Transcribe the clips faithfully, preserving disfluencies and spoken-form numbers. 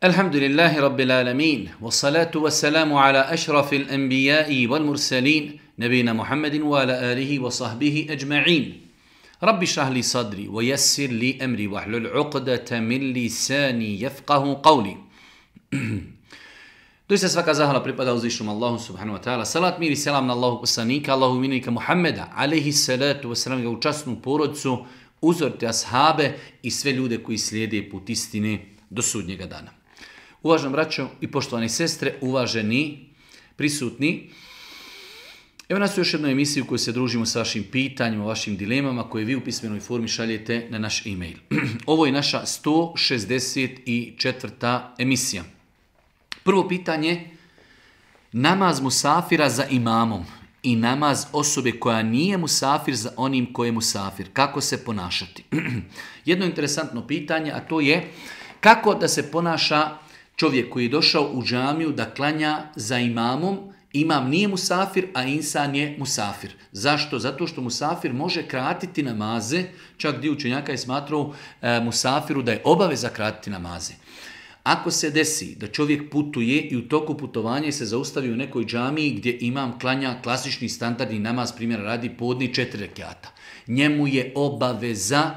الحمد لله رب العالمين والصلاة والسلام على أشرف الأنبياء والمرسلين نبينا محمد وعلى آله وصحبه أجمعين رب اشرح لي صدري ويسر لي أمري واحلل عقدة من لساني يفقه قولي. Doista svaka zahvala pripada uzvišenom Allahu subhanahu wa ta'ala. Salat, mir i selam na Allahu poslanika, Allahu minika Muhammeda, alejhi salatu wa salam, u časnu porodicu, uzorite ashabe i sve ljude koji slijede put istine do sudnjega dana. Uvaženi braćo i poštovane sestre, uvaženi prisutni, evo nas u još jednoj emisiji u kojoj se družimo sa vašim pitanjima, vašim dilemama koje vi u pismenoj formi šaljete na naš e-mail. Ovo je naša sto šezdeset četvrta emisija. Prvo pitanje, namaz musafira za imamom i namaz osobe koja nije musafir za onim koje je musafir. Kako se ponašati? Jedno interesantno pitanje, a to je kako da se ponaša čovjek koji je došao u džamiju da klanja za imamom. Imam nije musafir, a insan je musafir. Zašto? Zato što musafir može kratiti namaze, čak dio učenjaka je smatrao e, musafiru da je obaveza kratiti namaze. Ako se desi da čovjek putuje i u toku putovanja se zaustavi u nekoj džamiji gdje imam klanja klasični standardni namaz, primjera radi podni četiri rekjata, njemu je obaveza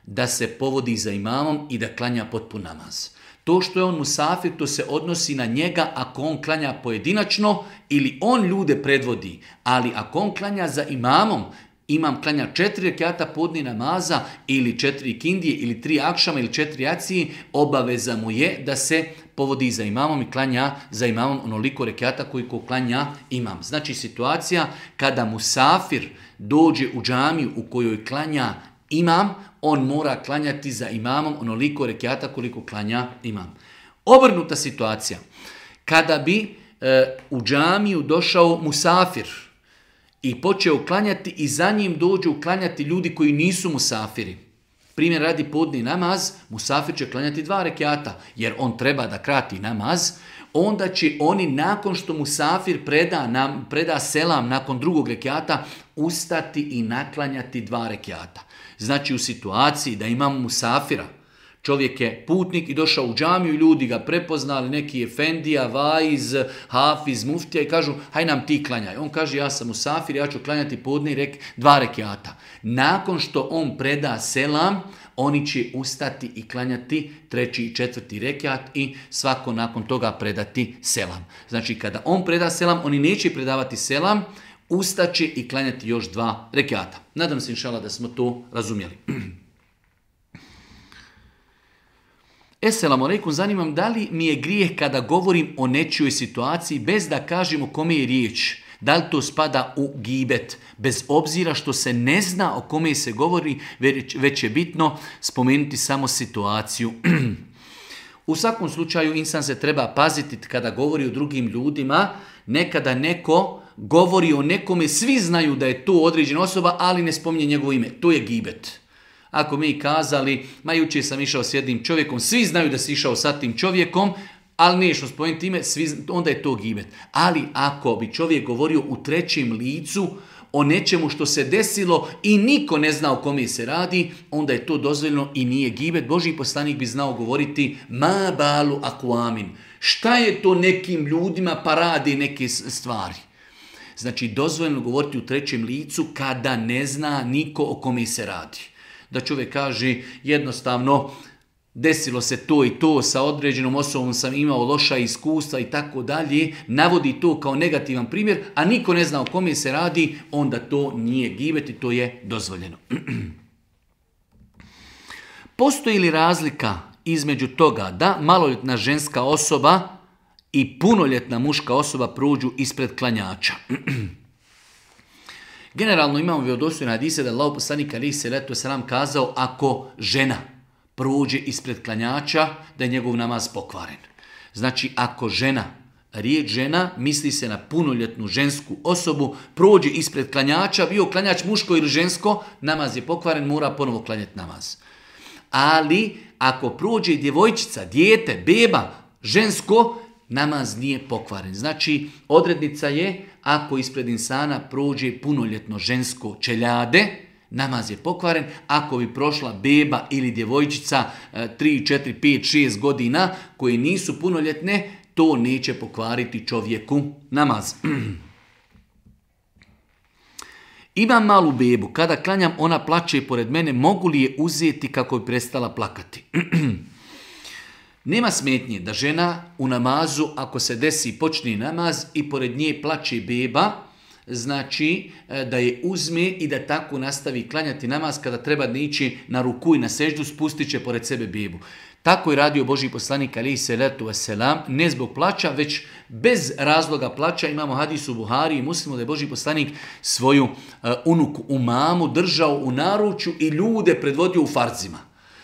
da se povodi za imamom i da klanja potpun namaz. To što je on musafir, to se odnosi na njega ako on klanja pojedinačno ili on ljude predvodi, ali ako on klanja za imamom, imam klanja četiri rekjata podni namaza ili četiri kindije ili tri akšama ili četiri jacije, obaveza mu je da se povodi za imamom i klanja za imamom onoliko rekjata koliko klanja imam. Znači situacija kada musafir dođe u džamiju u kojoj klanja imam, on mora klanjati za imamom onoliko rekjata koliko klanja imam. Obrnuta situacija, kada bi e, u džamiju došao musafir i počeo klanjati i za njim dođu klanjati ljudi koji nisu musafiri. Primjer radi podni namaz, musafir će klanjati dva rekjata jer on treba da krati namaz, onda će oni nakon što musafir preda, nam, preda selam nakon drugog rekjata ustati i naklanjati dva rekjata. Znači u situaciji da imamo musafira, čovjek je putnik i došao u džamiju, ljudi ga prepoznali, neki efendija, vaiz, hafiz, muftija i kažu haj nam ti klanjaj. On kaže ja sam musafir, ja ću klanjati podni rek, dva rekjata. Nakon što on preda selam, oni će ustati i klanjati treći i četvrti rekjat i svako nakon toga predati selam. Znači kada on preda selam, oni neće predavati selam, ustaće i klanjati još dva rekjata. Nadam se inšala da smo to razumjeli. Esselamu alejkum, zanimam da li mi je grijeh kada govorim o nečijoj situaciji bez da kažem o kome je riječ. Da li to spada u gibet? Bez obzira što se ne zna o kome se govori, već je bitno spomenuti samo situaciju. U svakom slučaju insan se treba paziti kada govori o drugim ljudima. Nekada neko govori o nekome, svi znaju da je to određena osoba, ali ne spominje njegovo ime. To je gibet. Ako mi kazali, ma jučer sam išao s jednim čovjekom, svi znaju da si išao sa tim čovjekom, ali niješ spomenuti ime, svi, onda je to gibet. Ali ako bi čovjek govorio u trećem licu o nečemu što se desilo i niko ne zna o kome se radi, onda je to dozvoljeno i nije gibet. Božji poslanik bi znao govoriti ma balu akvamin. Šta je to nekim ljudima pa radi neke stvari? Znači dozvoljeno govoriti u trećem licu kada ne zna niko o kome se radi. Da čovjek kaže jednostavno desilo se to i to, sa određenom osobom sam imao loša iskustva i tako dalje, navodi to kao negativan primjer, a niko ne zna o kome se radi, onda to nije gibet i to je dozvoljeno. Postoji li razlika između toga da maloljetna ženska osoba i punoljetna muška osoba prođu ispred klanjača? Generalno imamo vjerodostojne hadise da Allahov poslanik alejhi selatu selam kazao ako žena prođe ispred klanjača da je njegov namaz pokvaren. Znači ako žena, riječ žena misli se na punoljetnu žensku osobu, prođe ispred klanjača, bio klanjač muško ili žensko, namaz je pokvaren, mora ponovo klanjati namaz. Ali ako prođe djevojčica, dijete, beba, žensko, namaz nije pokvaren. Znači, odrednica je, ako ispred insana prođe punoljetno žensko čeljade, namaz je pokvaren. Ako bi prošla beba ili djevojčica tri, četiri, pet, šest godina koje nisu punoljetne, to neće pokvariti čovjeku namaz. Imam malu bebu, kada klanjam ona plače pored mene, mogu li je uzeti kako bi prestala plakati? Nema smetnje da žena u namazu, ako se desi počne namaz i pored nje plače beba, znači da je uzme i da tako nastavi klanjati namaz, kada treba da ići na ruku i na seždu, spustit će pored sebe bebu. Tako je radio Božji poslanik alejhi selatu vesselam, ne zbog plaća, već bez razloga plaća. Imamo hadis u Buhari i Muslimu da je Božji poslanik svoju uh, unuku Umamu držao u naručju i ljude predvodio u farzima.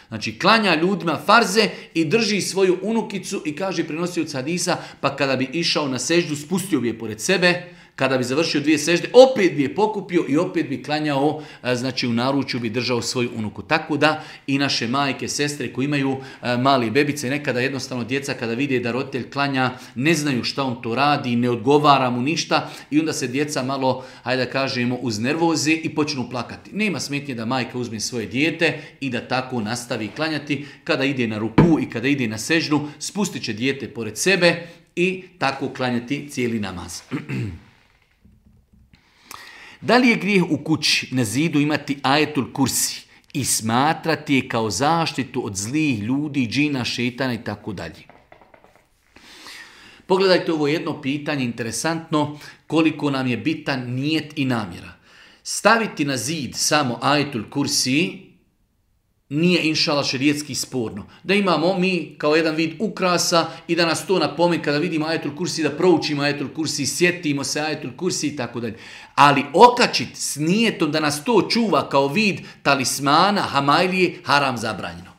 Znači, klanja ljudima farze i drži svoju unukicu i kaže prenosioc hadisa, pa kada bi išao na seždu, spustio bi je pored sebe, kada bi završio dvije sežde, opet bi je pokupio i opet bi klanjao, znači u naručju bi držao svoju unuku. Tako da i naše majke, sestre koji imaju mali bebice, nekada jednostavno djeca kada vide da roditelj klanja, ne znaju šta on to radi, ne odgovara mu ništa i onda se djeca malo, hajde da kažemo, uznervoze i počnu plakati. Nema smetnje da majka uzme svoje dijete i da tako nastavi klanjati. Kada ide na ruku i kada ide na seždu, spustit će dijete pored sebe i tako klanjati cijeli namaz. Da li je grijeh u kući na zidu imati ajetul kursi i smatrati je kao zaštitu od zlih ljudi, džina, šetana i tako dalje? Pogledajte ovo jedno pitanje, interesantno, koliko nam je bitan nijet i namjera. Staviti na zid samo ajetul kursi nije inšala šerijetski sporno. Da imamo mi kao jedan vid ukrasa i da nas to napomeni kada vidimo ajetul kursi, da proučimo ajetul kursi, sjetimo se ajetul kursi i tako dalje. Ali okačiti s nijetom da nas to čuva kao vid talismana, hamajlije, haram zabranjeno.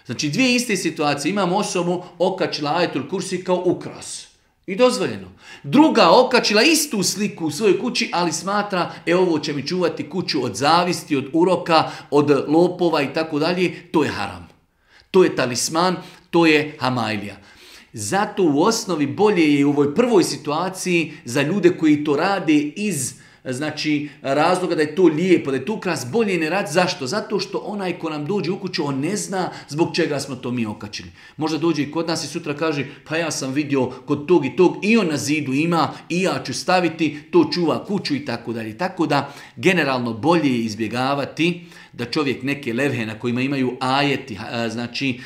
Znači dvije iste situacije. Imamo osobu okačila ajetul kursi kao ukras. I dozvoljeno. Druga okačila istu sliku u svojoj kući, ali smatra, e ovo će mi čuvati kuću od zavisti, od uroka, od lopova i tako dalje. To je haram. To je talisman, to je hamajlija. Zato u osnovi bolje je u ovoj prvoj situaciji za ljude koji to rade iz znači razloga da je to lijepo, da je to ukras, bolje ne rad. Zašto? Zato što onaj ko nam dođe u kuću, on ne zna zbog čega smo to mi okačili. Možda dođe i kod nas i sutra kaže, pa ja sam vidio kod tog i tog i on na zidu ima i ja ću staviti, to čuva kuću i tako dalje. Tako da generalno bolje je izbjegavati da čovjek neke levhe na kojima imaju ajeti, znači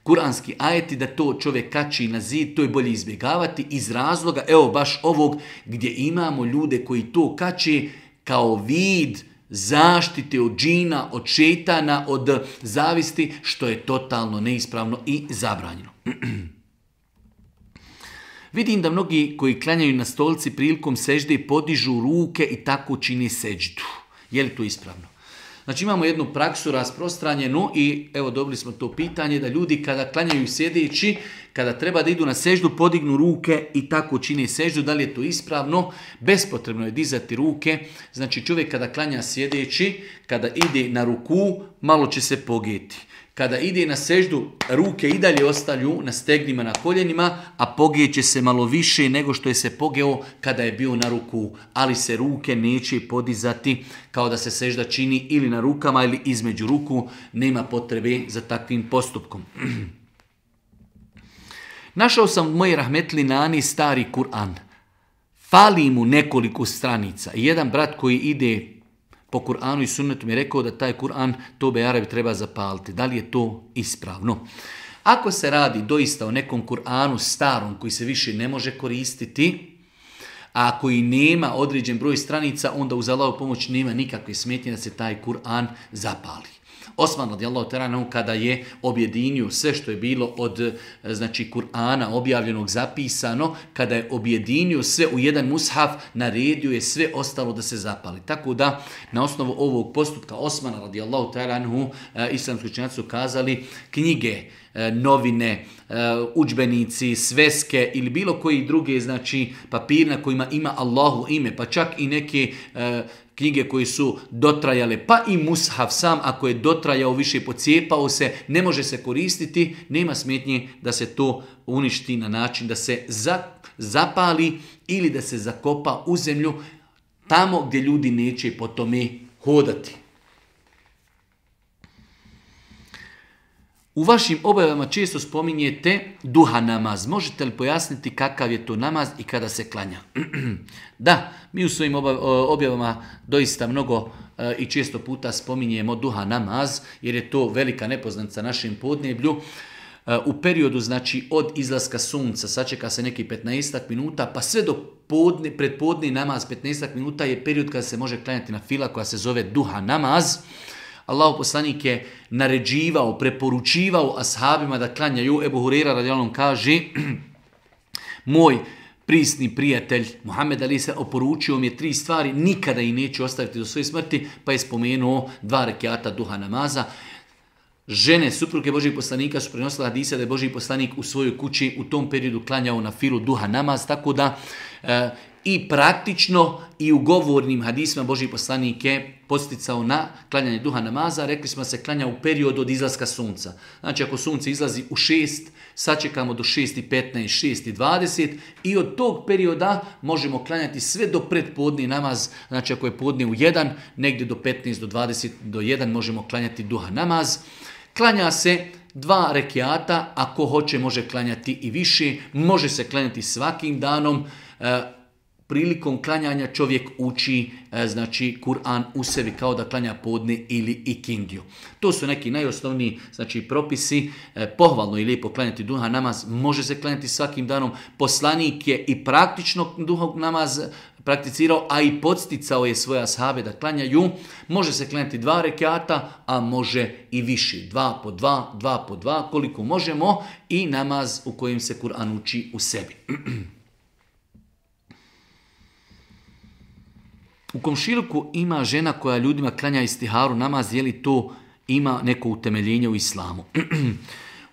kuranski ajeti, da to čovjek kači na zid, to je bolje izbjegavati iz razloga, evo baš ovog gdje imamo ljude koji to kači kao vid zaštite od džina, od šetana, od zavisti, što je totalno neispravno i zabranjeno. Vidim da mnogi koji klanjaju na stolici prilikom sežde podižu ruke i tako čini seždu. Je li to ispravno? Znači imamo jednu praksu rasprostranjenu i evo dobili smo to pitanje da ljudi kada klanjaju sjedeći, kada treba da idu na seždu, podignu ruke i tako čine seždu. Da li je to ispravno? Bespotrebno je dizati ruke. Znači čovjek kada klanja sjedeći, kada ide na ruku, malo će se pogeti. Kada ide na seždu, ruke i dalje ostaju na stegnima, na koljenima, a pogijeće se malo više nego što je se pogeo kada je bio na ruku. Ali se ruke neće podizati kao da se sežda čini ili na rukama ili između ruku. Nema potrebe za takvim postupkom. Našao sam u mojoj rahmetli nani stari Kur'an. Fali mu nekoliko stranica. Jedan brat koji ide po Kur'anu i sunnetu mi je rekao da taj Kur'an, to be Arabi treba zapaliti. Da li je to ispravno? Ako se radi doista o nekom Kur'anu starom koji se više ne može koristiti, a koji nema određen broj stranica, onda uz Allahovu pomoć nema nikakve smetnje da se taj Kur'an zapali. Osman radijallahu ta'ala anhu kada je objedinio sve što je bilo od znači Kur'ana objavljenog, zapisano, kada je objedinio sve u jedan mushaf, naredio je sve ostalo da se zapali. Tako da na osnovu ovog postupka Osmana radijallahu ta'ala anhu islamski učenjaci su kazali knjige, novine, udžbenici, sveske ili bilo koji druge znači papir na kojima ima Allahu ime, pa čak i neke knjige koje su dotrajale, pa i mushaf sam ako je dotrajao više, pocijepao se, ne može se koristiti, nema smetnje da se to uništi na način da se zapali ili da se zakopa u zemlju tamo gdje ljudi neće po tome hodati. U vašim objavama često spominjete duha namaz. Možete li pojasniti kakav je to namaz i kada se klanja? Da, mi u svojim objavama doista mnogo i često puta spominjemo duha namaz, jer je to velika nepoznanica našem podneblju. U periodu, znači, od izlaska sunca, sačeka se neki petnaestak minuta, pa sve do podne, predpodni namaz petnaestak minuta je period kada se može klanjati na fila koja se zove duha namaz. Allahu poslanik je naređivao, preporučivao ashabima da klanjaju. Ebu Hureyra radijallahu anhu kaže, moj prisni prijatelj Muhammed Ali se oporučio mi je tri stvari, nikada ih neću ostaviti do svoje smrti, pa je spomenuo dva rekiata duha namaza. Žene, supruge Božih poslanika su prenosile hadise da je Božji poslanik u svojoj kući u tom periodu klanjao na filu duha namaz, tako da e, i praktično i u govornim hadisima Božji poslanik je posticao na klanjanje duha namaza. Rekli smo se klanja u periodu od izlaska sunca. Znači ako sunce izlazi u šest, sačekamo do šest i petnaest, šest i dvadeset i od tog perioda možemo klanjati sve do predpodni namaz. Znači ako je podne u jedan, negdje do petnaest, do dvadeset, do jedan možemo klanjati duha namaz. Klanja se dva rekiata, ako hoće može klanjati i više, može se klanjati svakim danom. E, prilikom klanjanja čovjek uči e, znači Kur'an u sebi kao da klanja podne ili ikindiju. To su neki najosnovniji znači propisi. E, pohvalno i lijepo klanjati duha namaz, može se klanjati svakim danom. Poslanik je i praktično duha namaz prakticirao, a i podsticao je svoje ashabe da klanjaju. Može se klanjati dva rekiata, a može i više. Dva po dva, dva po dva, koliko možemo, i namaz u kojem se Kur'an uči u sebi. U komšiluku ima žena koja ljudima klanja istiharu namaz, je li to ima neko utemeljenje u islamu?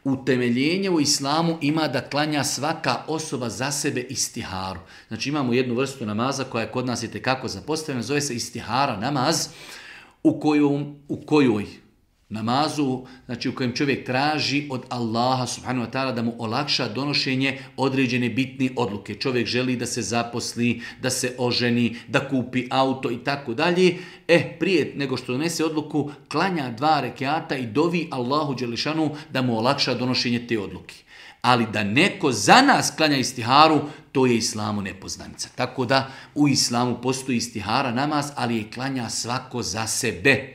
Utemeljenje u islamu ima da klanja svaka osoba za sebe istiharu. Znači imamo jednu vrstu namaza koja je kod nas itekako zapostavljena, zove se istihara namaz, u, koju, u kojoj namazu, znači u kojem čovjek traži od Allaha subhanahu wa ta'ala da mu olakša donošenje određene bitne odluke. Čovjek želi da se zaposli, da se oženi, da kupi auto i tako dalje. E, prije nego što donese odluku, klanja dva rekiata i dovi Allahu dželešanu da mu olakša donošenje te odluke. Ali da neko za nas klanja istiharu, to je islamu nepoznanica. Tako da u islamu postoji istihara namaz, ali je klanja svako za sebe,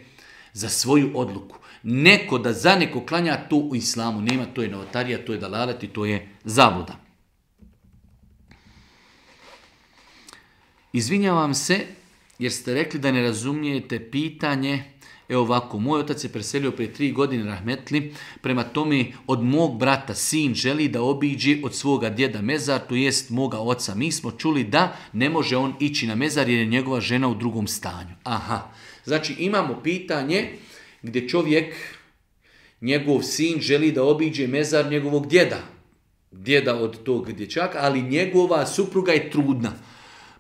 za svoju odluku. Neko da za neko klanja, to u islamu nema, to je novotarija, to je dalalet i to je zabluda. Izvinjavam se jer ste rekli da ne razumijete pitanje. Evo ovako, moj otac je preselio prije tri godine rahmetli, prema tome od mog brata sin želi da obiđe od svoga djeda mezar, to jest moga oca. Mi smo čuli da ne može on ići na mezar jer je njegova žena u drugom stanju. Aha, znači imamo pitanje gdje čovjek, njegov sin želi da obiđe mezar njegovog djeda, djeda od tog dječaka, ali njegova supruga je trudna.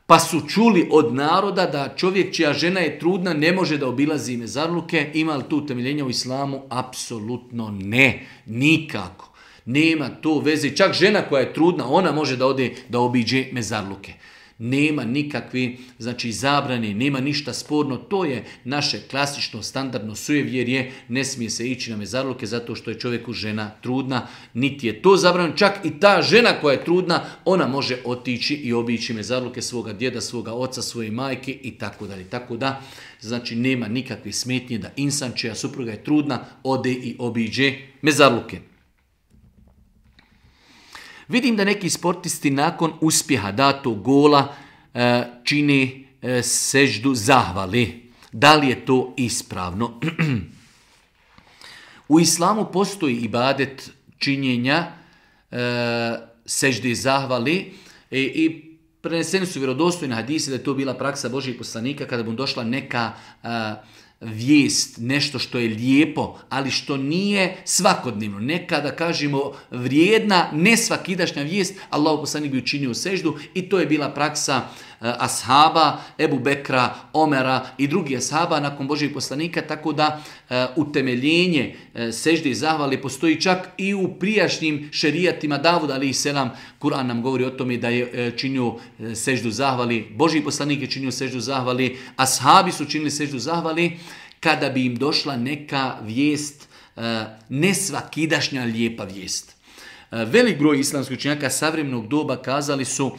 Pa su čuli od naroda da čovjek čija žena je trudna ne može da obilazi mezarluke. Ima li tu utemeljenja u islamu? Apsolutno ne, nikako. Nema to veze. Čak žena koja je trudna, ona može da ode da obiđe mezarluke. Nema nikakve znači, zabrane, nema ništa sporno. To je naše klasično, standardno sujevjerje. Ne smije se ići na mezarluke zato što je čovjeku žena trudna. Niti je to zabranjeno. Čak i ta žena koja je trudna, ona može otići i obići mezarluke svoga djeda, svoga oca, svoje majke i tako dalje. Tako da, znači, nema nikakve smetnje da insan čija supruga je trudna ode i obiđe mezarluke. Vidim da neki sportisti nakon uspjeha datog gola e, čini e, seždu zahvali. Da li je to ispravno? U islamu postoji ibadet činjenja e, sežde zahvali e, i preneseni su vjerodostojni hadisi da je to bila praksa Božjih poslanika kada mu došla neka e, vijest, nešto što je lijepo, ali što nije svakodnevno. Nekada kažemo vrijedna, ne svakidašnja vijest, Allahu poslanik bi učinio seždu i to je bila praksa uh, ashaba, Ebu Bekra, Omera i drugih ashaba nakon Božjih poslanika, tako da uh, utemeljenje uh, sežde i zahvali postoji čak i u prijašnjim šerijatima. Davud alejhi selam, Kur'an nam govori o tome da je uh, činio uh, seždu zahvali, Božji poslanik je činio seždu zahvali, ashabi su činili seždu zahvali. Kada bi im došla neka vijest nesvakidašnja lijepa vijest. Velik broj islamskih učenjaka savremenog doba kazali su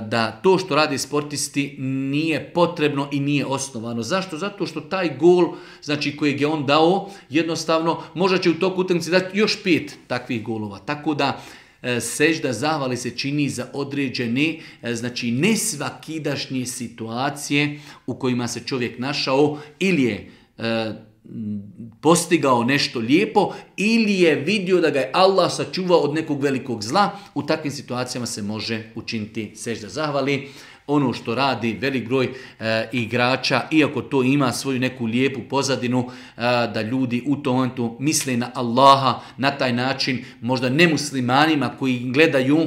da to što rade sportisti nije potrebno i nije osnovano. Zašto? Zato što taj gol, znači kojeg je on dao, jednostavno možda će u toku utakmice dati još pet takvih golova. Tako da sežda zahvale se čini za određene, znači nesvakidašnje situacije u kojima se čovjek našao ili je postigao nešto lijepo ili je vidio da ga je Allah sačuvao od nekog velikog zla. U takvim situacijama se može učiniti sežda zahvali. Ono što radi velik broj e, igrača, iako to ima svoju neku lijepu pozadinu, e, da ljudi u tom momentu misle na Allaha, na taj način možda nemuslimanima koji gledaju,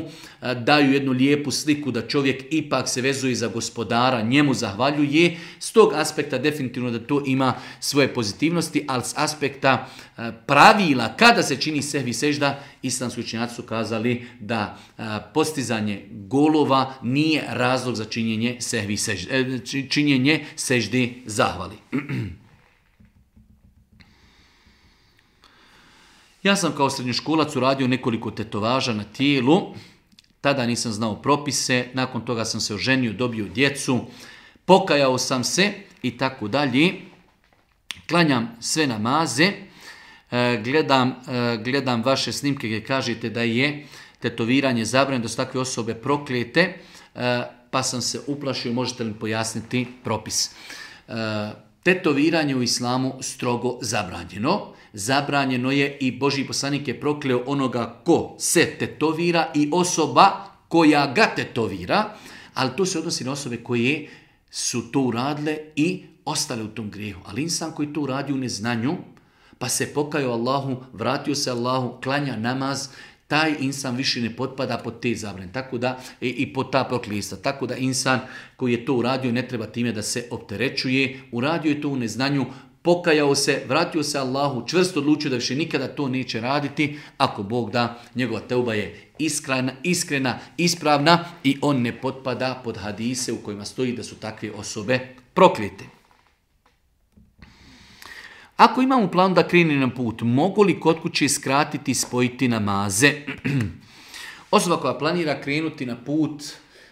e, daju jednu lijepu sliku da čovjek ipak se vezuje za gospodara, njemu zahvaljuje. S tog aspekta definitivno da to ima svoje pozitivnosti, ali s aspekta e, pravila kada se čini sehvi sežda, islamski učenjaci su kazali da e, postizanje golova nije razlog za činjenje sehvi sežde, činjenje sežde zahvali. Ja sam kao srednjoškolac uradio nekoliko tetovaža na tijelu, tada nisam znao propise, nakon toga sam se oženio, dobio djecu, pokajao sam se i tako dalje. Klanjam sve namaze, gledam, gledam vaše snimke gdje kažete da je tetoviranje zabranjeno, da su takve osobe proklijete, pa sam se uplašio, možete li pojasniti propis. E, tetoviranje u islamu strogo zabranjeno. Zabranjeno je i Božji poslanik je prokleo onoga ko se tetovira i osoba koja ga tetovira, ali to se odnosi na osobe koje su to uradile i ostale u tom grijehu. Ali insan koji to uradi u neznanju, pa se pokajao Allahu, vratio se Allahu, klanja namaz, taj insan više ne potpada pod te zabrane, tako da i, i pod ta proklista. Tako da insan koji je to uradio ne treba time da se opterećuje, uradio je to u neznanju, pokajao se, vratio se Allahu, čvrsto odlučio da više nikada to neće raditi, ako Bog da, njegova teuba je iskrena, iskrena, ispravna i on ne potpada pod hadise u kojima stoji da su takve osobe proklijete. Ako imamo plan da krene na put, mogu li kod kuće skratiti i spojiti namaze? Osoba koja planira krenuti na put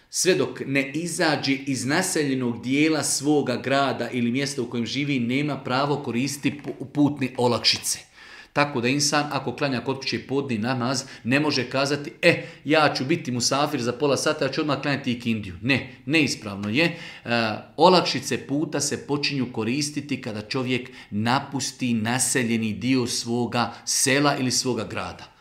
sve dok ne izađe iz naseljenog dijela svoga grada ili mjesta u kojem živi, nema pravo koristiti putne olakšice. Tako da insan, ako klanja kod kuće podni namaz, ne može kazati, e, ja ću biti musafir za pola sata, ja ću odmah klanjati ikindiju. Ne, neispravno je. E, olakšice puta se počinju koristiti kada čovjek napusti naseljeni dio svoga sela ili svoga grada.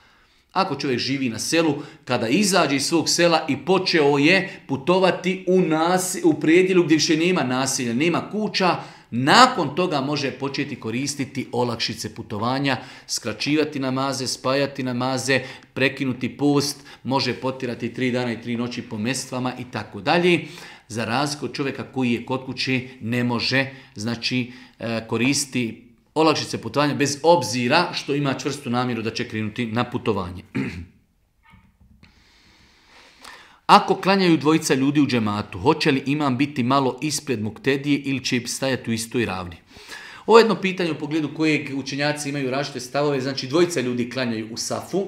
Ako čovjek živi na selu, kada izađe iz svog sela i počeo je putovati u, nas, u predjelu gdje više nema naselja, nema kuća, nakon toga može početi koristiti olakšice putovanja, skraćivati namaze, spajati namaze, prekinuti post, može potirati tri dana i tri noći po mestvama i tako dalje. Za razliku od čovjeka koji je kod kuće ne može, znači koristiti olakšice putovanja bez obzira što ima čvrstu namjeru da će krenuti na putovanje. Ako klanjaju dvojica ljudi u džematu, hoće li imam biti malo ispred muktedije ili će stajati u istoj ravni? Ovo je jedno pitanje u pogledu kojeg učenjaci imaju različite stavove, znači dvojica ljudi klanjaju u safu,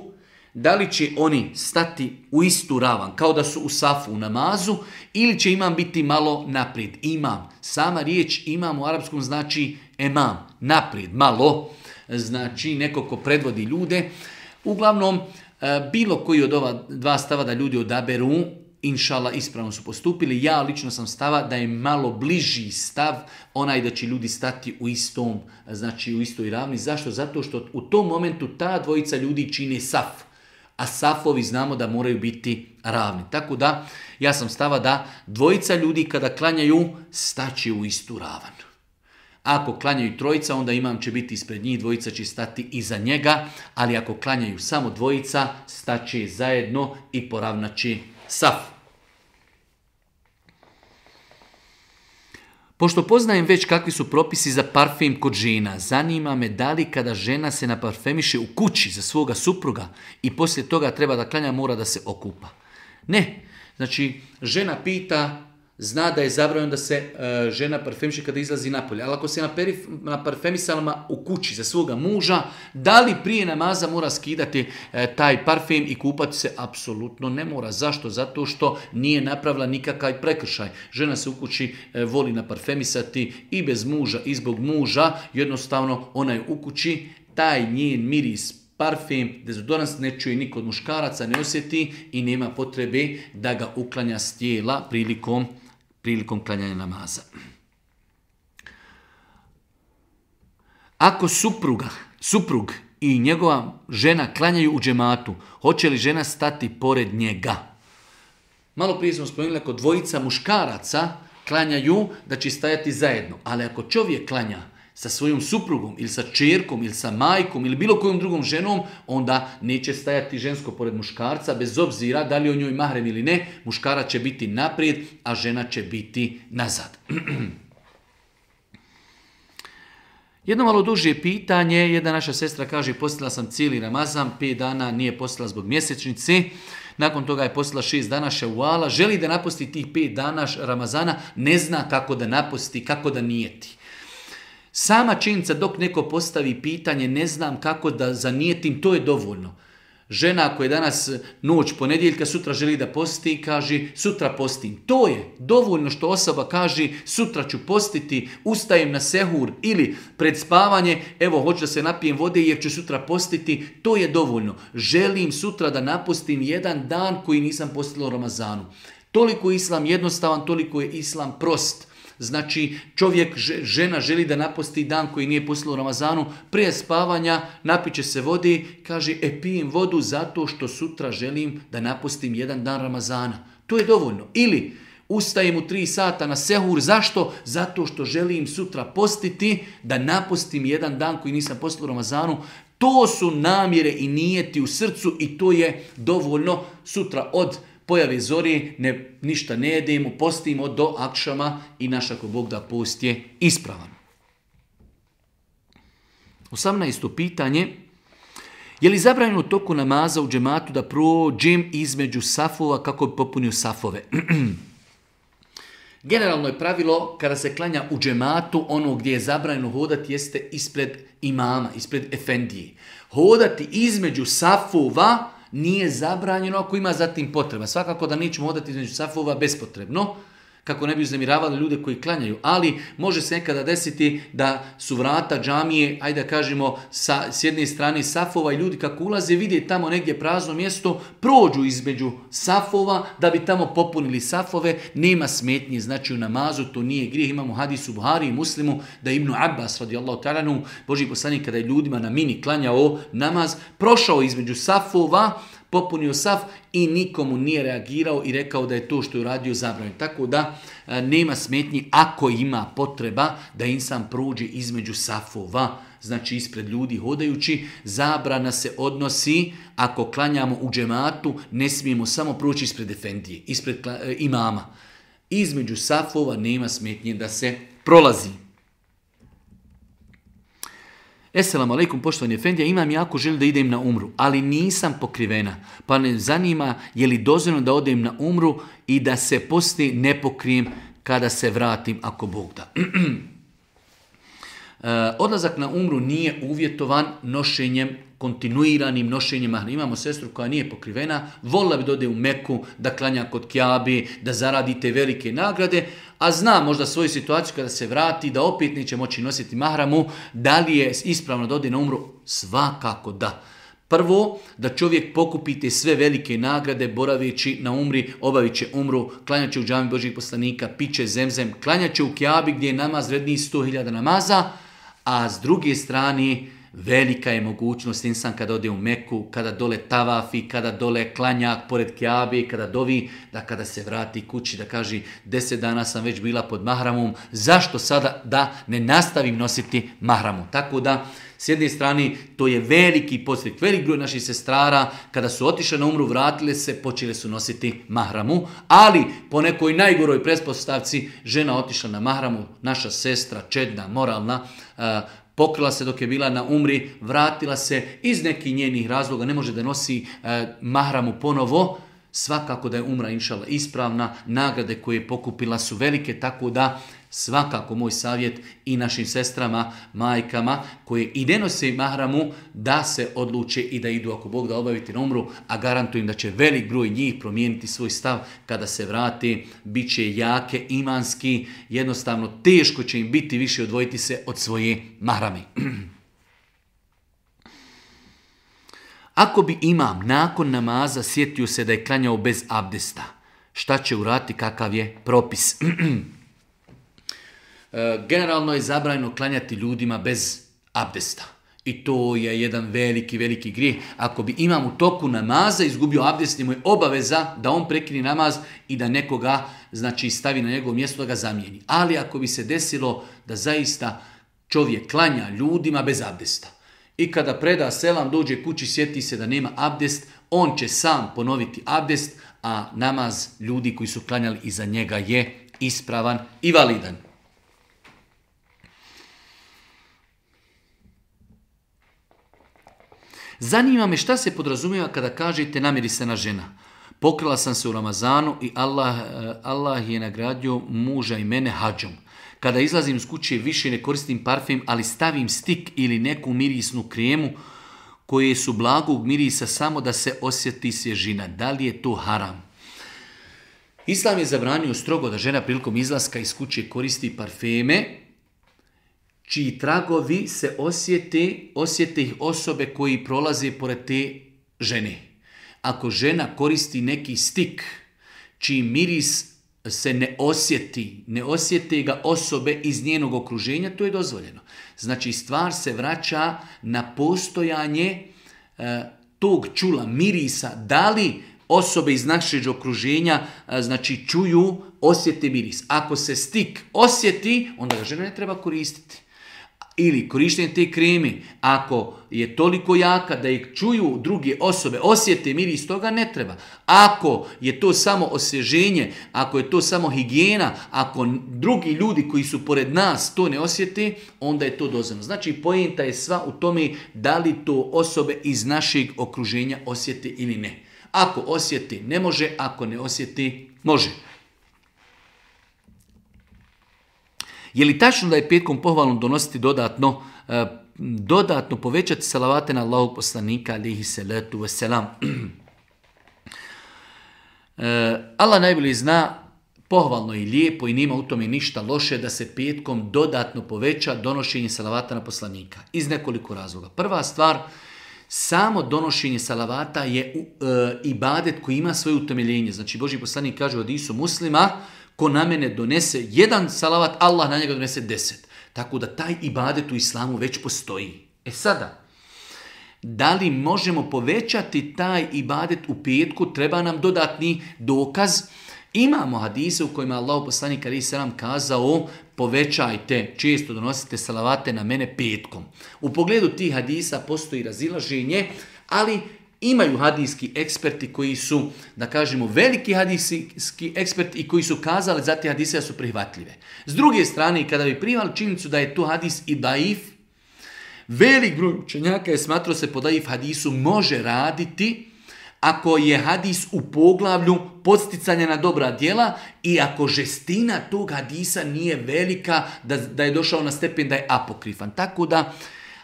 da li će oni stati u istu ravan, kao da su u safu u namazu, ili će imam biti malo naprijed? Imam. Sama riječ imam u arapskom znači emam, naprijed, malo, znači neko ko predvodi ljude. Uglavnom, bilo koji od ova dva stava da ljudi odaberu, inšala ispravno su postupili. Ja lično sam stava da je malo bliži stav onaj da će ljudi stati u istom, znači u istoj ravni. Zašto? Zato što u tom momentu ta dvojica ljudi čine saf, a safovi znamo da moraju biti ravni. Tako da ja sam stava da dvojica ljudi kada klanjaju staće u istu ravan. Ako klanjaju trojica, onda imam će biti ispred njih, dvojica će stati iza njega, ali ako klanjaju samo dvojica, staće zajedno i poravnaće saf. Pošto poznajem već kakvi su propisi za parfem kod žena, zanima me da li kada žena se naparfemiše u kući za svoga supruga i poslije toga treba da klanja, mora da se okupa. Ne, znači žena pita zna da je zabranjeno da se e, žena parfemiše kada izlazi napolje. Ali ako se na parfemisalama u kući za svoga muža, da li prije namaza mora skidati e, taj parfem i kupati se? Apsolutno ne mora. Zašto? Zato što nije napravila nikakav prekršaj. Žena se u kući e, voli naparfemisati i bez muža i zbog muža. Jednostavno ona je u kući, taj njen miris, parfem, dezodorans ne čuje niko od muškaraca, ne osjeti i nema potrebe da ga uklanja s tijela prilikom, prilikom klanjanja namaza. Ako supruga, suprug i njegova žena klanjaju u džematu, hoće li žena stati pored njega? Malo prije smo spomenuli, ako dvojica muškaraca klanjaju, da će stajati zajedno. Ali ako čovjek klanja sa svojom suprugom ili sa čerkom ili sa majkom ili bilo kojom drugom ženom, onda neće stajati žensko pored muškarca, bez obzira da li o njoj mahrem ili ne, muškarac će biti naprijed, a žena će biti nazad. Jedno malo duže pitanje, jedna naša sestra kaže, postila sam cijeli Ramazan, pet dana nije postila zbog mjesečnice, nakon toga je postila šest dana ševala, želi da naposti tih pet dana Ramazana, ne zna kako da naposti, kako da nijeti. Sama činjenica dok neko postavi pitanje, ne znam kako da zanijetim, to je dovoljno. Žena ako je danas noć ponedjeljka, sutra želi da posti, kaže sutra postim. To je dovoljno što osoba kaže sutra ću postiti, ustajem na sehur ili pred spavanje, evo hoću da se napijem vode jer ću sutra postiti, to je dovoljno. Želim sutra da napostim jedan dan koji nisam postila u Ramazanu. Toliko je islam jednostavan, toliko je islam prost. Znači čovjek, žena želi da naposti dan koji nije postila u Ramazanu, prije spavanja napiće se vode, kaže e pijem vodu zato što sutra želim da napostim jedan dan Ramazana. To je dovoljno. Ili ustajem u tri sata na sehur, zašto? Zato što želim sutra postiti da napostim jedan dan koji nisam postila u Ramazanu. To su namjere i nijeti u srcu i to je dovoljno. Sutra od pojave zori, ne, ništa ne jedemo, postimo do akšama i naš ako Bog da post je ispravan. osamnaesto pitanje. Je li zabranjeno u toku namaza u džematu da prođem između safova kako bi popunio safove? Generalno je pravilo kada se klanja u džematu, ono gdje je zabranjeno hodati jeste ispred imama, ispred efendije. Hodati između safova nije zabranjeno ako ima zatim potreba. Svakako da nećemo hodati između safova bespotrebno, kako ne bi uznemiravali ljude koji klanjaju, ali može se nekada desiti da su vrata džamije, ajde da kažemo, sa, s jedne strane safova i ljudi kako ulaze, vide tamo negdje prazno mjesto, prođu između safova da bi tamo popunili safove, nema smetnje, znači u namazu to nije grijeh. Imamo hadis u Buhari i Muslimu da Ibn Abbas radijallahu ta'ala anhu, Božji poslanik kada je ljudima na mini klanjao namaz, prošao između safova, popunio saf i nikomu nije reagirao i rekao da je to što je uradio zabranjeno. Tako da e, nema smetnji ako ima potreba da insan prođe između safova, znači ispred ljudi hodajući. Zabrana se odnosi ako klanjamo u džematu, ne smijemo samo proći ispred efendije, ispred e, imama. Između safova nema smetnje da se prolazi. Esselamu alaikum, poštovani efendija, imam jako želju da idem na umru, ali nisam pokrivena, pa me zanima je li dozvoljeno da odem na umru i da se poslije ne pokrijem kada se vratim, ako Bog da. Odlazak na umru nije uvjetovan nošenjem, kontinuiranim nošenjem mahrama. Imamo sestru koja nije pokrivena, volila bi da ode u Meku, da klanja kod Kjabe, da zaradi te velike nagrade, a zna možda svoju situaciju kada se vrati, da opet neće moći nositi mahramu. Da li je ispravno da ode na umru? Svakako da. Prvo, da čovjek pokupite sve velike nagrade, boraveći na umri, obavit će umru, klanjat će u džami Božjih poslanika, piće zemzem, klanjat će u Kjabi gdje je namaz vredniji sto hiljada namaza, a s druge strane, velika je mogućnost insan kada ode u Meku, kada dole tavafi, kada dole klanja pored Kjabe, kada dovi, da kada se vrati kući da kaže deset dana sam već bila pod mahramom, zašto sada da ne nastavim nositi mahramu? Tako da s jedne strane to je veliki podstrek, velik broj naših sestrara kada su otišle na umru, vratile se, počele su nositi mahramu, ali po nekoj najgoroj pretpostavci žena otišla na mahramu, naša sestra, čedna, moralna, uh, pokrila se dok je bila na umri, vratila se iz nekih njenih razloga, ne može da nosi e, mahramu ponovo, svakako da je umra inšala ispravna, nagrade koje je pokupila su velike, tako da svakako moj savjet i našim sestrama, majkama koje i ne nose mahramu da se odluče i da idu ako Bog da obaviti na umru, a garantujem da će velik broj njih promijeniti svoj stav kada se vrate, bit će jake, imanski, jednostavno teško će im biti više odvojiti se od svoje mahrame. Ako bi imam nakon namaza sjetio se da je klanjao bez abdesta, šta će uraditi, kakav je propis? Generalno je zabranjeno klanjati ljudima bez abdesta. I to je jedan veliki, veliki grijeh. Ako bi imam u toku namaza izgubio abdest, mu je obaveza da on prekine namaz i da nekoga znači, stavi na njegovo mjesto da ga zamijeni. Ali ako bi se desilo da zaista čovjek klanja ljudima bez abdesta i kada preda selam, dođe kući, sjeti se da nema abdest, on će sam ponoviti abdest, a namaz ljudi koji su klanjali iza njega je ispravan i validan. Zanima me šta se podrazumijeva kada kažete namirisana žena. Pokrila sam se u Ramazanu i Allah, Allah je nagradio muža i mene hadžom. Kada izlazim iz kuće više ne koristim parfem, ali stavim stik ili neku mirisnu kremu koje su blagog mirisa samo da se osjeti svježina. Da li je to haram? Islam je zabranio strogo da žena prilikom izlaska iz kuće koristi parfeme čiji tragovi se osjete, osjete ih osobe koji prolaze pored te žene. Ako žena koristi neki stik čiji miris se ne osjeti, ne osjete ga osobe iz njenog okruženja, to je dozvoljeno. Znači stvar se vraća na postojanje e, tog čula, mirisa, da li osobe iz našeg okruženja e, znači čuju, osjete miris. Ako se stik osjeti, onda ga žena ne treba koristiti. Ili korištenje te kreme, ako je toliko jaka da ih čuju druge osobe, osjete miris, toga ne treba. Ako je to samo osvježenje, ako je to samo higijena, ako drugi ljudi koji su pored nas to ne osjete, onda je to dozvoljeno. Znači, poenta je sva u tome da li to osobe iz našeg okruženja osjete ili ne. Ako osjete, ne može, ako ne osjete, može. Je li tačno da je petkom pohvalno donositi dodatno, e, dodatno povećati salavate na Allahog poslanika, alihi salatu wasalam? e, Allah najbolje zna, pohvalno i lijepo i nima u tome ništa loše da se petkom dodatno poveća donošenje salavata na poslanika. Iz nekoliko razloga. Prva stvar, samo donošenje salavata je e, ibadet koji ima svoje utemeljenje. Znači, Božji poslanik kaže u hadisu Muslima, ko na mene donese jedan salavat, Allah na njega donese deset. Tako da taj ibadet u islamu već postoji. E sada, da li možemo povećati taj ibadet u petku, treba nam dodatni dokaz. Imamo hadise u kojima Allah poslanik alejhi selam kazao povećajte, često donosite salavate na mene petkom. U pogledu tih hadisa postoji razilaženje, ali imaju hadijski eksperti koji su, da kažemo, veliki hadijski eksperti i koji su kazali za te hadise da su prihvatljive. S druge strane, kada bi prihvali činjenicu da je to hadis i daif, velik broj učenjaka je smatrao se po daif hadisu može raditi ako je hadis u poglavlju podsticanja na dobra djela i ako žestina tog hadisa nije velika, da, da je došao na stepen da je apokrifan. Tako da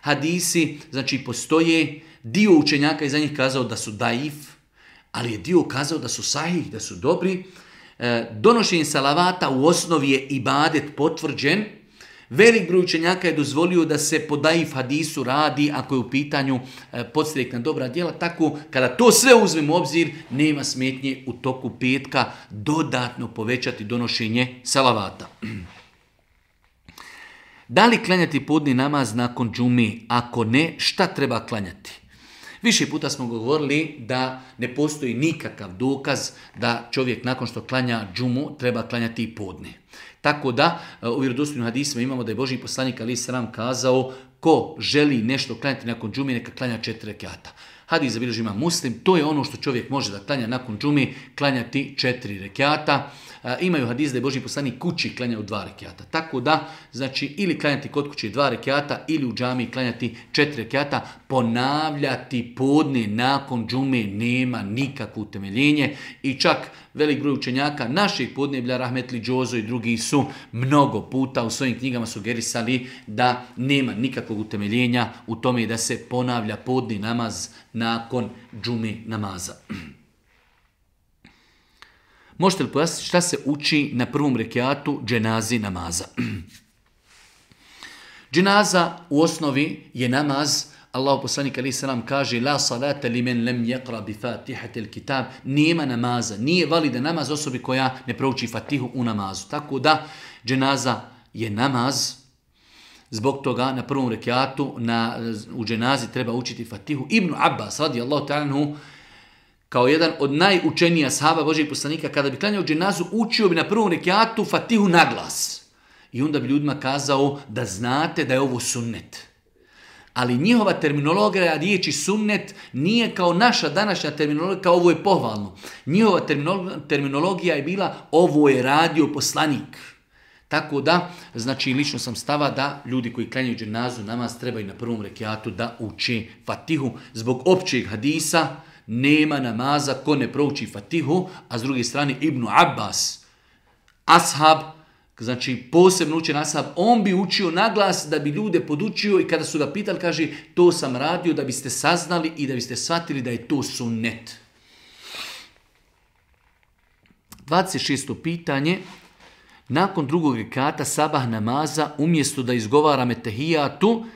hadisi, znači, postoje. Dio učenjaka je za njih kazao da su daif, ali je dio kazao da su sahih, da su dobri. E, donošenje salavata u osnovi je ibadet potvrđen. Velik broj učenjaka je dozvolio da se po daif hadisu radi ako je u pitanju e, podstrek na dobra djela. Tako, kada to sve uzmemo u obzir, nema smetnje u toku petka dodatno povećati donošenje salavata. Da li klanjati podni namaz nakon džume? Ako ne, šta treba klanjati? Više puta smo govorili da ne postoji nikakav dokaz da čovjek nakon što klanja džumu treba klanjati i podne. Tako da u vjerodostojnim hadisima imamo da je Božji poslanik alejhi selam kazao ko želi nešto klanjati nakon džume neka klanja četiri rekata. Hadis zabilježi ima Muslim, to je ono što čovjek može da klanja nakon džume, klanjati četiri rekiata. E, imaju hadis da je Božji poslanik kući klanjao dva rekiata. Tako da, znači, ili klanjati kod kuće dva rekiata, ili u džamiji klanjati četiri rekiata, ponavljati podne nakon džume nema nikakvo utemeljenje i čak velik broj učenjaka naših podneblja, Rahmetli Džozo i drugi su mnogo puta u svojim knjigama sugerisali da nema nikakvog utemeljenja u tome da se ponavlja podni namaz nakon džume namaza. Možete li pojasniti šta se uči na prvom rekiatu dženazi namaza? Dženaza u osnovi je namaz. Allahu poslanik alejhi selam kaže la salata limen lam yaqra bi fatihatil kitab, nema namaza, nije valida namaz osobi koja ne prouči Fatihu u namazu. Tako da dženaza je namaz. Zbog toga na prvom rekiatu na u dženazi treba učiti Fatihu. Ibn Abbas radijallahu ta'ala anhu kao jedan od najučenijih ashaba Božjeg poslanika kada bi klanjao dženazu učio bi na prvom rekiatu Fatihu na glas. I onda bi ljudima kazao da znate da je ovo sunnet. Ali njihova terminologija riječi sunnet nije kao naša današnja terminologija, kao ovo je pohvalno. Njihova terminologija je bila ovo je radio poslanik. Tako da, znači lično sam stava da ljudi koji klanjaju dženazu namaz trebaju na prvom rekiatu da uče Fatihu. Zbog općeg hadisa nema namaza ko ne prouči Fatihu, a s druge strane Ibn Abbas, ashab, znači posebno učen ashab, on bi učio naglas da bi ljude podučio i kada su ga pitali, kaže, to sam radio da biste saznali i da biste shvatili da je to sunnet. dvadeset šesto pitanje. Nakon drugog rekata sabah namaza, umjesto da izgovaram etehijatu,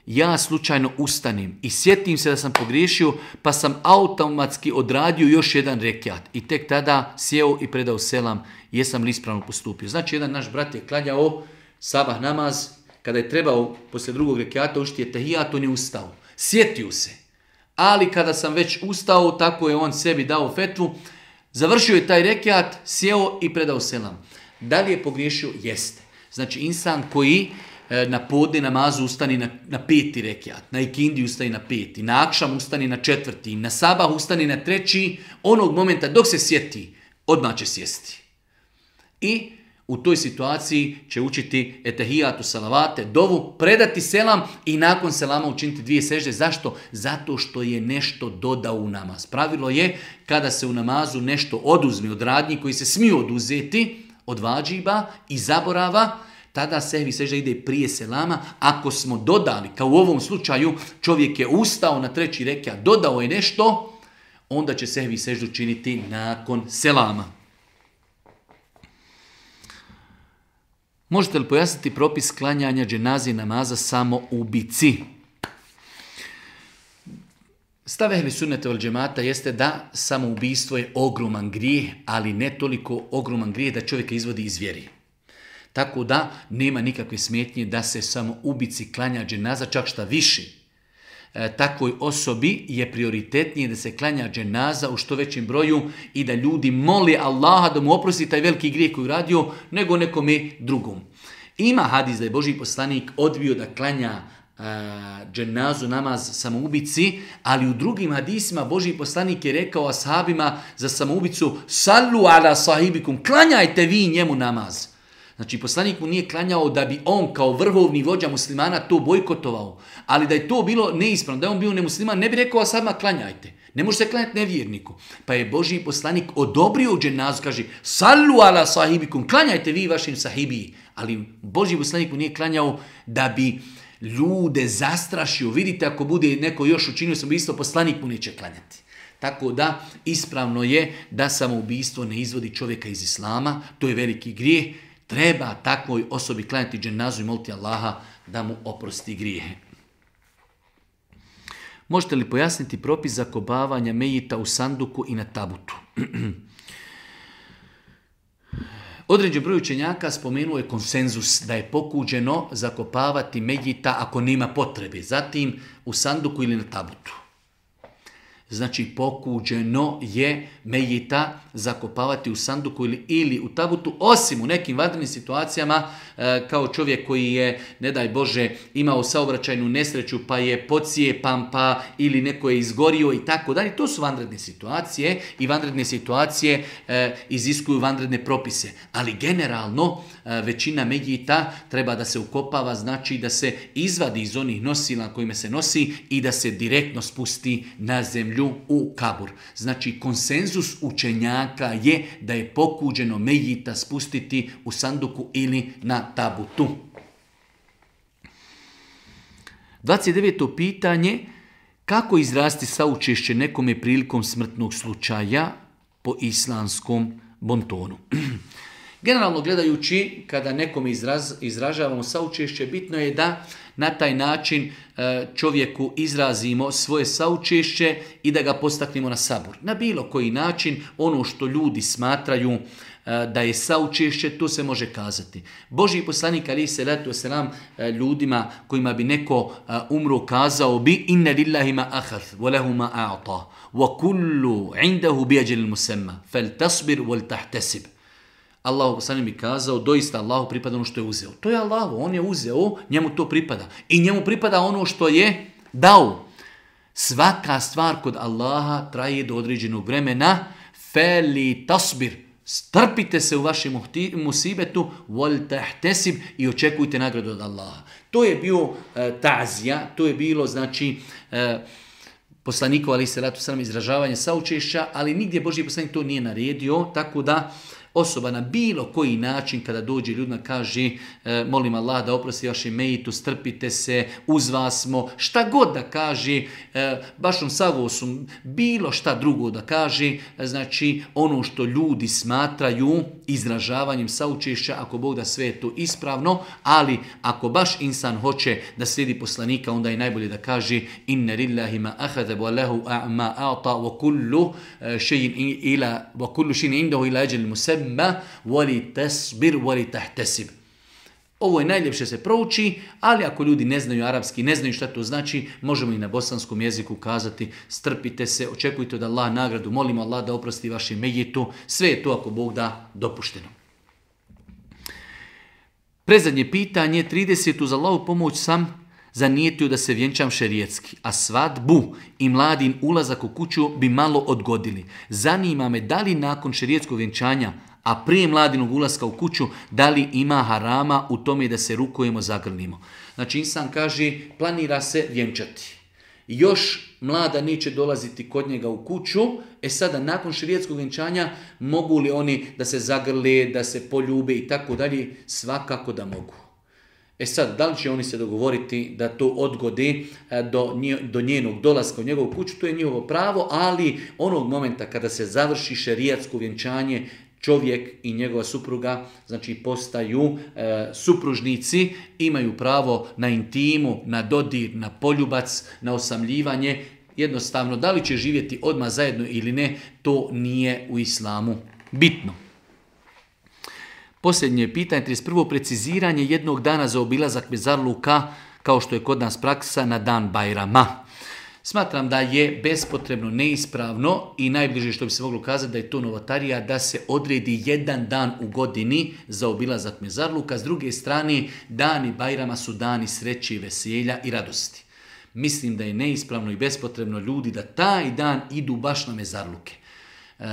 ja slučajno ustanim i sjetim se da sam pogriješio, pa sam automatski odradio još jedan rekiat i tek tada sjeo i predao selam, jesam li ispravno postupio. Znači, jedan naš brat je klanjao sabah namaz, kada je trebao poslije drugog rekiata učiti etehijat, on je ustao. Sjetio se, ali kada sam već ustao, tako je on sebi dao fetvu, završio je taj rekiat, sjeo i predao selam. Da li je pogriješio? Jeste. Znači, insan koji na podne namazu ustani na, na peti rekiat, na ikindi ustani na peti, na akšam ustani na četvrti, na sabah ustani na treći, onog momenta dok se sjeti, odmah će sjesti. I u toj situaciji će učiti etehijatu, salavate, dovu, predati selam i nakon selama učiniti dvije sežde. Zašto? Zato što je nešto dodao u namaz. Pravilo je kada se u namazu nešto oduzme od radnji koji se smiju oduzeti, od vađiba i zaborava, tada sehvi sežda ide prije selama. Ako smo dodali, kao u ovom slučaju, čovjek je ustao na treći rekiat, dodao je nešto, onda će sehvi seždu činiti nakon selama. Možete li pojasniti propis klanjanja dženazi namaza samo u bici? Stav ehli sunneta vel džemata jeste da samoubistvo je ogroman grijeh, ali ne toliko ogroman grijeh da čovjeka izvodi iz vjeri. Tako da nema nikakve smetnje da se samoubici klanja dženaza, čak šta više. E, takvoj osobi je prioritetnije da se klanja dženaza u što većem broju i da ljudi moli Allaha da mu oprosti taj veliki grijeh koji radio, nego nekome drugom. Ima hadis da je Božji poslanik odbio da klanja dženazu namaz samoubici, ali u drugim hadisima Božji poslanik je rekao ashabima za samoubicu sallu ala sahibikum, klanjajte vi njemu namaz. Znači poslanik mu nije klanjao da bi on kao vrhovni vođa muslimana to bojkotovao, ali da je to bilo neispravno, da je on bio nemusliman, ne bi rekao ashabima klanjajte. Ne može se klanjati nevjerniku. Pa je Božji poslanik odobrio dženazu, kaže sallu ala sahibikum, klanjajte vi vašim sahibiji. Ali Božji poslanik mu nije klanjao da bi ljude zastrašio. Vidite, ako bude neko još učinio samoubistvo, poslanik mu neće klanjati. Tako da ispravno je da samoubistvo ne izvodi čovjeka iz islama, to je veliki grijeh. Treba takvoj osobi klanjati dženazu i moliti Allaha da mu oprosti grijehe. Možete li pojasniti propis zakopavanja mejita u sanduku i na tabutu? Određen broj učenjaka spomenuo je konsenzus da je pokuđeno zakopavati mejita ako nema potrebe, zatim u sanduku ili na tabutu. Znači pokuđeno je mejita zakopavati u sanduku ili, ili u tabutu, osim u nekim vanrednim situacijama e, kao čovjek koji je, ne daj Bože, imao saobraćajnu nesreću pa je pocijepan pa ili neko je izgorio i tako dalje. To su vanredne situacije i vanredne situacije e, iziskuju vanredne propise. Ali generalno e, većina mejita treba da se ukopava, znači da se izvadi iz onih nosila kojima se nosi i da se direktno spusti na zemlju u kabur. Znači konsenzus učenjaka je da je pokuđeno mejita spustiti u sanduku ili na tabutu. dvadeset deveto pitanje. Kako izrasti saučešće nekome prilikom smrtnog slučaja po islamskom bontonu? Generalno gledajući, kada nekome izraz, izražavamo saučešće, bitno je da na taj način čovjeku izrazimo svoje saučešće i da ga postaknemo na sabur. Na bilo koji način, ono što ljudi smatraju da je saučešće, to se može kazati. Božji poslanik alejhi selatu vesselam ljudima kojima bi neko umro kazao bi inna lillahi ma akhadh wa lahu ma a'ta wa kullu 'indahu bi ajalin musamma faltasbir wal tahtasib. Allah poslanik mi kazao, doista Allahu pripada ono što je uzeo. To je Allahu, on je uzeo, njemu to pripada. I njemu pripada ono što je dao. Svaka stvar kod Allaha traje do određenog vremena. Feli tasbir. Strpite se u vašem musibetu, wal tahtesib, i očekujte nagradu od Allaha. To je bio e, ta'zija, to je bilo znači e, poslanikov alejhi selatu vesselam izražavanje saučešća, ali nigdje Božji poslanik to nije naredio, tako da osoba na bilo koji način kada dođe ljudima kaže e, molim Allah da oprosti vašem mejitu, strpite se, uz vas smo, šta god da kaže, e, bašom savosom, bilo šta drugo da kaže, e, znači ono što ljudi smatraju izražavanjem saučešća, ako Bog da sve je to ispravno, ali ako baš insan hoće da slijedi poslanika, onda je najbolje da kaže inna lillahi ma akhadha wa lahu ma a'ta wa kullu shay'in ila wa kullu shay'in indahu ila ajalin musamma wali tasbir wali tahtasib. Ovo je najljepše se prouči, ali ako ljudi ne znaju arapski, ne znaju šta to znači, možemo i na bosanskom jeziku kazati strpite se, očekujte od Allah nagradu, molimo Allah da oprosti vašem mejitu, sve je to ako Bog da dopušteno. Predzadnje pitanje, trideset uz Allahu pomoć sam zanijetio da se vjenčam šerijetski, a svadbu i mladin ulazak u kuću bi malo odgodili. Zanima me da li nakon šerijetskog vjenčanja, a prije mladinog ulaska u kuću, da li ima harama u tome da se rukujemo, zagrlimo. Znači insan kaže, planira se vjenčati. Još mlada neće dolaziti kod njega u kuću, e sada nakon šerijetskog vjenčanja mogu li oni da se zagrle, da se poljube i tako dalje? Svakako da mogu. E sad, da li će oni se dogovoriti da to odgode do, do njenog dolaska u njegovu kuću, to je njihovo pravo, ali onog momenta kada se završi šerijatsko vjenčanje, čovjek i njegova supruga, znači postaju e, supružnici, imaju pravo na intimu, na dodir, na poljubac, na osamljivanje. Jednostavno, da li će živjeti odmah zajedno ili ne, to nije u islamu bitno. Posljednje pitanje, trideset prvo preciziranje jednog dana za obilazak mezarluka, kao što je kod nas praksa, na dan Bajrama. Smatram da je bespotrebno, neispravno i najbliže što bi se moglo kazati da je to novotarija, da se odredi jedan dan u godini za obilazak mezarluka. S druge strane, dani Bajrama su dani sreće, veselja i radosti. Mislim da je neispravno i bespotrebno ljudi da taj dan idu baš na mezarluke.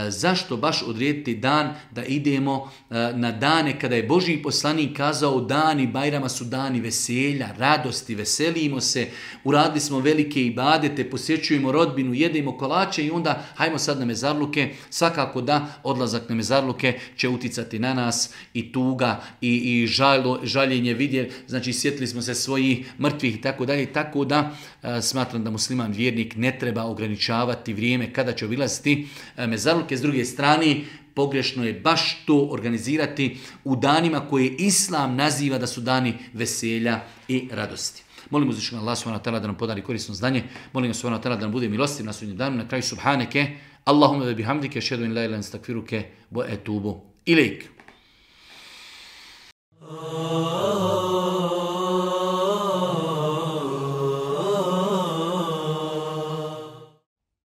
Zašto baš odrediti dan da idemo na dane kada je Božji poslanik kazao dani Bajrama su dani veselja, radosti, veselimo se, uradili smo velike ibadete, posjećujemo rodbinu, jedemo kolače i onda hajmo sad na mezarluke. Svakako da odlazak na mezarluke će uticati na nas i tuga i, i žalo, žaljenje vidje, znači sjetili smo se svojih mrtvih i tako dalje, tako da a, smatram da musliman vjernik ne treba ograničavati vrijeme kada će obilaziti mezarluke. S druge strane, pogrešno je baš to organizirati u danima koje Islam naziva da su dani veselja i radosti. Molim uzvišenog Allaha subhanahu wa ta'ala da nam podari korisno znanje. Molim ga subhanahu wa ta'ala da nam bude milostiv na sudnjem danu. Na kraju subhaneke, Allahumma ve bihamdike, ašhadu an la ilaha illa anta, astaghfiruke wa etubu ilejk.